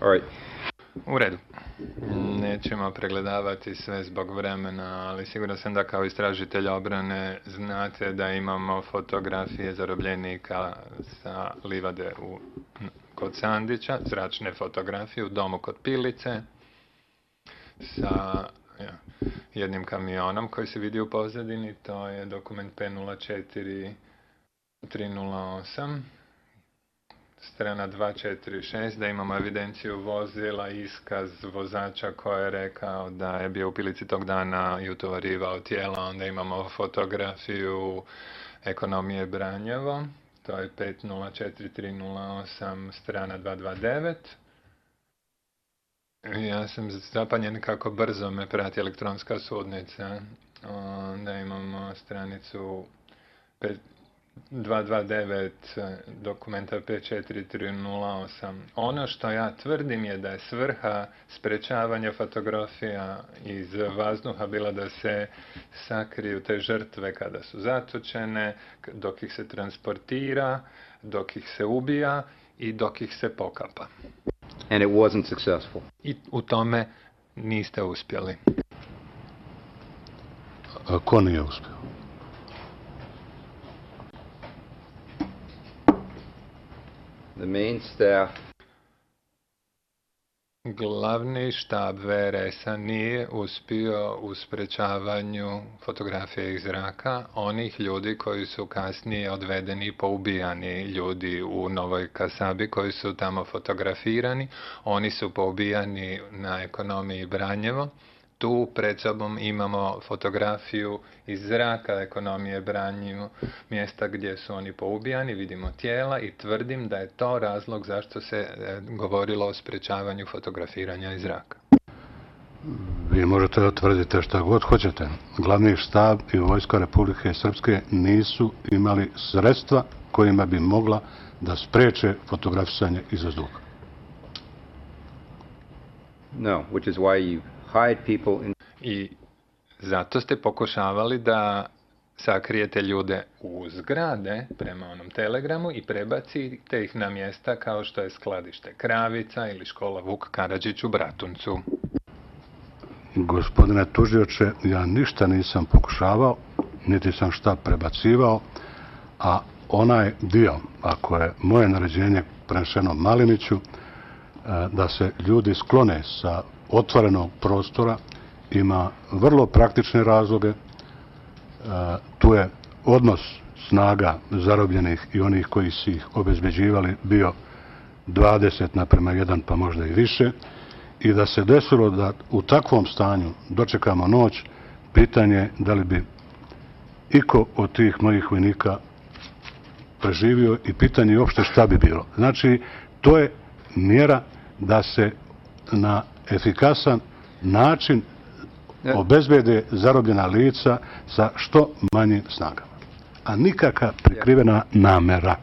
All right. U redu. Nećemo pregledavati sve zbog vremena, ali siguran sam da kao istražitelj obrane znate da imamo fotografije zarobljenika sa livade kod Sandića, zračne fotografije u domu kod Pilice, sa jednim kamionom koji se vidi u pozadini, to je dokument P04308. Strana 246, da imamo evidenciju vozila, iskaz vozača koji je rekao da je bio u Pilici tog dana i utovarivao tijela. Onda imamo fotografiju ekonomije Branjevo, to je 504308, strana 229. Ja sam zapanjen kako brzo me prati elektronska sudnica. Onda imamo stranicu 229 dokumenta 54308. Ono što ja tvrdim je da je svrha sprečavanja fotografija iz vazduha bila da se sakriju te žrtve kada su zatočene, dok ih se transportira, dok ih se ubija i dok ih se pokapa. And it wasn't successful. I u tome niste uspjeli. Ko nije uspio? The main staff. Glavni štab VRS-a nije uspio u sprečavanju fotografije iz zraka onih ljudi koji su kasnije odvedeni i poubijani, ljudi u Novoj Kasabi koji su tamo fotografirani. Oni su poubijani na ekonomiji Branjevo. Tu pred sobom imamo fotografiju iz zraka ekonomije Branjevo, mjesta gdje su oni poubijani, vidimo tijela i tvrdim da je to razlog zašto se govorilo o sprečavanju fotografiranja iz zraka. Vi možete da tvrdite šta god hoćete. Glavni štab i vojska Republike Srpske nisu imali sredstva kojima bi mogla da spreče fotografisanje iz vazduha. No, which is why you hide people in... I zato ste pokušavali da sakrijete ljude u zgrade prema onom telegramu i prebacite ih na mjesta kao što je skladište Kravica ili škola Vuk Karadžić u Bratuncu. Gospodine tužioče, ja ništa nisam pokušavao, niti sam šta prebacivao, a onaj dio, ako je moje naređenje prenešeno Maliniću, da se ljudi sklone sa otvorenog prostora, ima vrlo praktične razloge. Tu je odnos snaga zarobljenih i onih koji su ih obezbeđivali bio 20:1, pa možda i više, i da se desilo da u takvom stanju dočekamo noć, pitanje da li bi iko od tih mojih vojnika preživio i pitanje uopšte šta bi bilo. Znači, to je mjera da se na efikasan način obezbede zarobljena lica sa što manjim snagama. A nikakva prikrivena namera.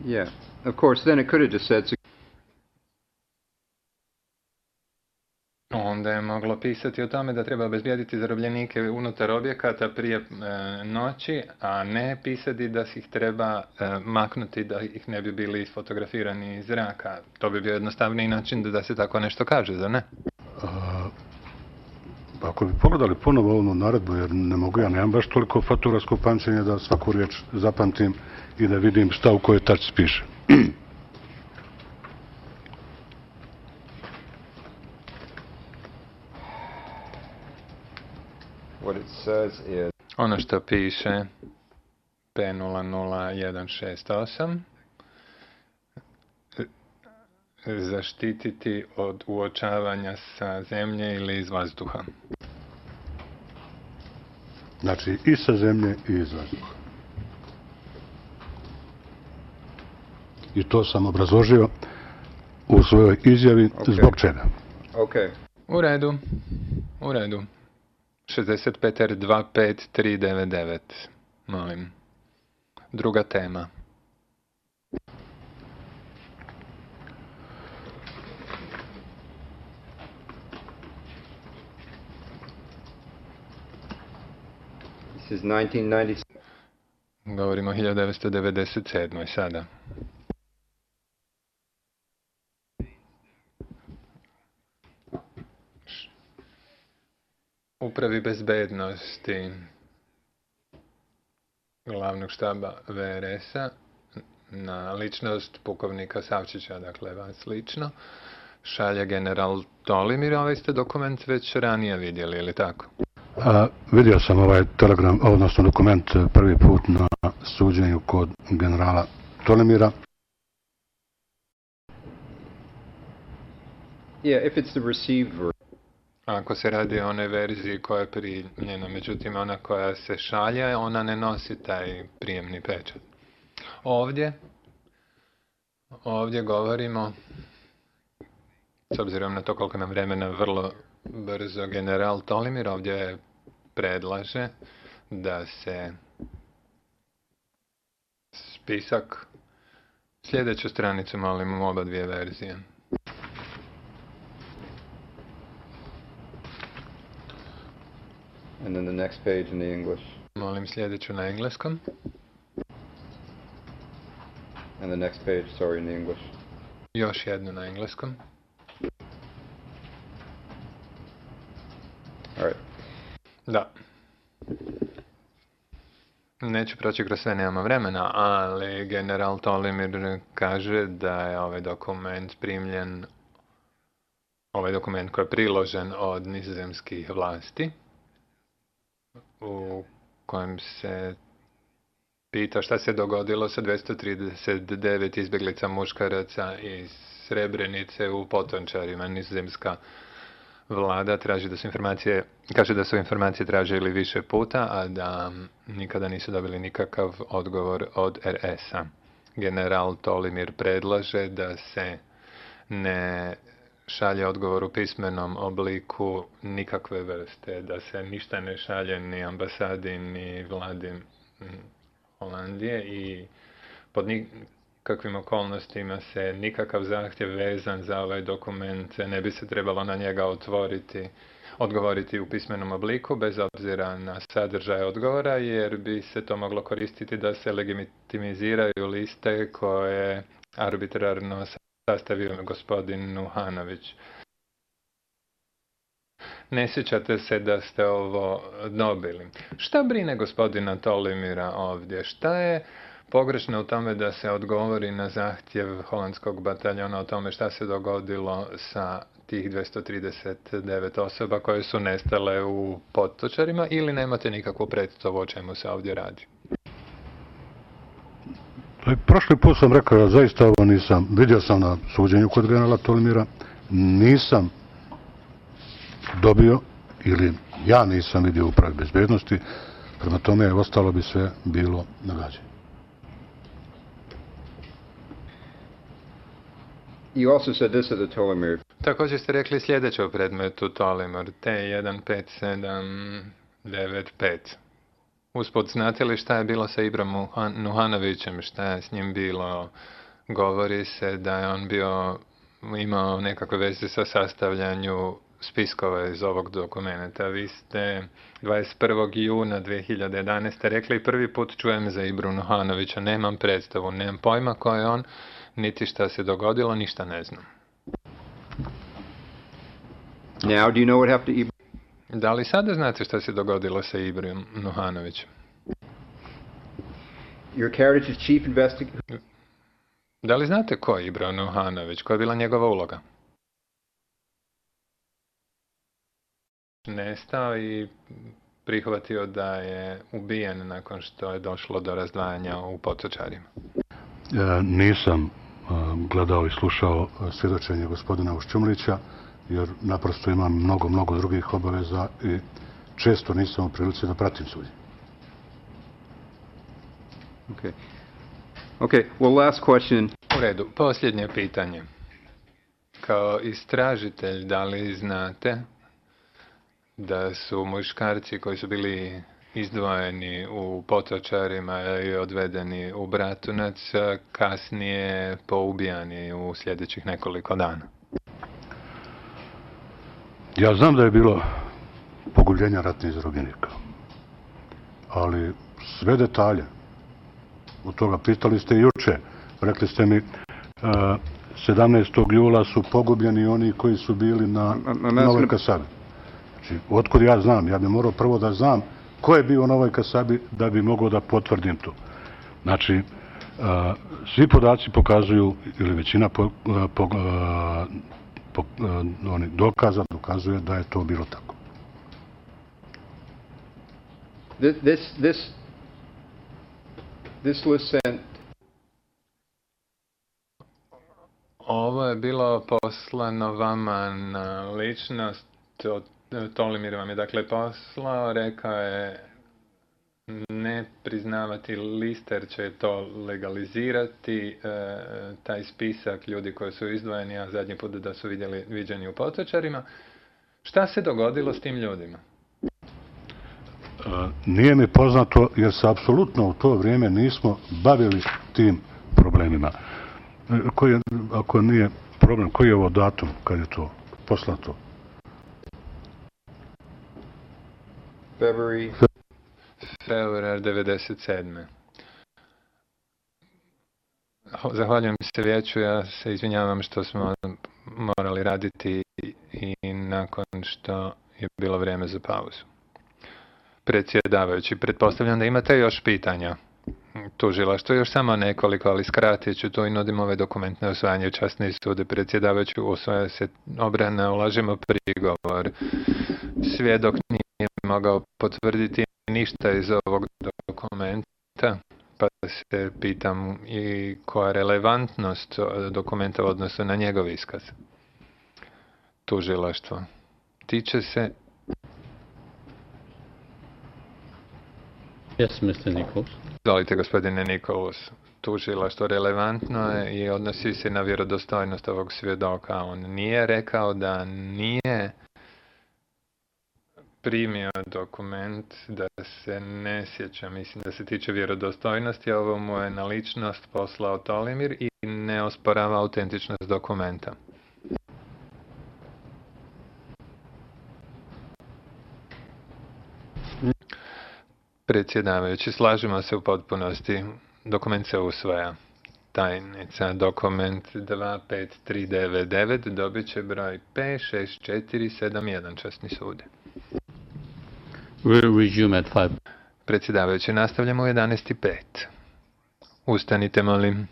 Yeah. Of course, then it could have just said... Onda je moglo pisati o tome da treba obezbijediti zarobljenike unutar objekata prije noći, a ne pisati da ih treba maknuti da ih ne bi bili fotografirani iz zraka. To bi bio jednostavniji način da se tako nešto kaže, zar ne? Ako bi pogledali ponovo ovu naredbu, jer ne mogu, ja nemam baš toliko fotografskog pamćenja da svaku riječ zapamtim i da vidim šta u kojoj tačci piše. What it says is... Ono što piše P00168, zaštititi od uočavanja sa zemlje ili iz vazduha. Znači i sa zemlje i iz vazduha. I to sam obrazložio u svojoj izjavi zbog čega. Okay. U redu, u redu. 65R25399, molim. Druga tema. This is 1997. Govorimo o 1997. sada. upravi bezbednosti glavnog štaba VRS-a na ličnost pukovnika Savčića, dakle vas lično, šalje general Tolimir. Ovaj ste dokument već ranije vidjeli, ili tako? Vidio sam ovaj telegram, odnosno dokument prvi put na suđenju kod generala Tolimira. Yeah, if it's the received version. Ako se radi o onoj verziji koja je primljena, međutim ona koja se šalje, ona ne nosi taj prijemni pečat. Ovdje govorimo, s obzirom na to koliko nam vremena, vrlo brzo, general Tolimir ovdje predlaže da se spisak, sljedeću stranicu molim u oba dvije verzije. And then the next page in the English. Molim sljedeću na engleskom. And the next page, sorry, in the English. Još jednu na engleskom. All right. Da. Neću proći kroz sve, nemamo vremena, ali general Tolimir kaže da je ovaj dokument primljen, ovaj dokument koji je priložen od nizozemskih vlasti, u kojem se pita šta se dogodilo sa 239 izbjeglica muškaraca iz Srebrenice u Potončarima. Nizozemska vlada traži da su informacije, kaže da su informacije tražili više puta, a da nikada nisu dobili nikakav odgovor od RS-a. General Tolimir predlaže da se ne šalje odgovor u pismenom obliku nikakve vrste, da se ništa ne šalje ni ambasadi ni vladi Holandije i pod nikakvim okolnostima se nikakav zahtjev vezan za ovaj dokument ne bi se trebalo na njega odgovoriti u pismenom obliku bez obzira na sadržaj odgovora, jer bi se to moglo koristiti da se legitimiziraju liste koje arbitrarno sastavio gospodin Nuhanović. Ne sjećate se da ste ovo dobili. Šta brine gospodina Tolimira ovdje? Šta je pogrešno u tome da se odgovori na zahtjev holandskog bataljona o tome šta se dogodilo sa tih 239 osoba koje su nestale u Potočarima, ili nemate nikakvu predstavu o čemu se ovdje radi? Prošli put sam rekao da zaista ovo nisam, vidio sam na suđenju kod generala Tolimira, nisam dobio, ili ja nisam vidio upravi bezbednosti, prema tome ostalo bi sve bilo nagađanje. You also said this at the Tolimir. Također ste rekli sljedeće o predmetu Tolimir, T15795. Usput, znate li šta je bilo sa Ibrom Nuhanovićem, šta je s njim bilo? Govori se da je on imao nekakve veze sa sastavljanju spiskova iz ovog dokumenta. Vi ste 21. juna 2011. rekli, prvi put čujem za Ibru Nuhanovića, nemam predstavu, nemam pojma ko je on, niti šta se dogodilo, ništa ne znam. Now, do you know what happened to Ibra? Da li sada znate šta se dogodilo sa Ibrom Nuhanovićem? Your Caritage's chief investigator. Da li znate ko je Ibro Nuhanović? Koja je bila njegova uloga? Nestao i prihvatio da je ubijen nakon što je došlo do razdvajanja u Potočarima. Nisam gledao i slušao svjedočenje gospodina Ušćumlića, jer naprosto imam mnogo drugih obaveza i često nisam u prilici da pratim suđenje. Okay, well, last question. U redu, posljednje pitanje. Kao istražitelj, da li znate da su muškarci koji su bili izdvojeni u Potočarima i odvedeni u Bratunac kasnije poubijani u sljedećih nekoliko dana? Ja znam da je bilo pogubljenja ratnih zarobljenika, ali sve detalje od toga pitali ste juče. Rekli ste mi 17. jula su pogubljeni oni koji su bili na Novoj Kasabi. Znači, otkud ja znam? Ja bih morao prvo da znam ko je bio na ovoj kasabi da bi mogao da potvrdim to. Znači, svi podaci pokazuju, ili većina dokaza dokazuje da je to bilo tako. This was sent. Ovo je bilo poslano vama na ličnost, Tolimir vam je dakle poslao, rekao je ne priznavati lister će to legalizirati, taj spisak ljudi koji su izdvojeni, a zadnji put da su viđeni u Potočarima. Šta se dogodilo s tim ljudima? Nije mi poznato jer se apsolutno u to vrijeme nismo bavili tim problemima. Ako nije problem, koji je ovo datum kad je to poslato? Februar 97. Zahvaljujem se vijeću, ja se izvinjavam što smo morali raditi i nakon što je bilo vrijeme za pauzu. Predsjedavajući, pretpostavljam da imate još pitanja. Tužilaštvo još samo nekoliko, ali skratit ću to i nudim ovaj dokument na usvajanje časni sude. Predsjedavajući, usvaja se obrana, ulažemo prigovor. Svjedok nije mogao potvrditi ništa iz ovog dokumenta, pa se pitam i koja je relevantnost dokumenta u odnosu na njegov iskaz. Tužilaštvo. Tiče se... Yes, Mr. Nichols. Izvolite, gospodine Nichols. Tužilaštvo relevantno je i odnosi se na vjerodostojnost ovog svjedoka. On nije rekao da nije primio dokument, da se ne sjeća, mislim da se tiče vjerodostojnosti, ovo mu je na ličnost poslao Tolimir i ne osporava autentičnost dokumenta. Predsjedavajući, slažemo se u potpunosti. Dokument se usvaja. Tajnica, dokument 25399 dobit će broj P6471, časni sude. We'll resume at 5. Predsjedavajući, nastavljamo u 11:05. Ustanite, molim.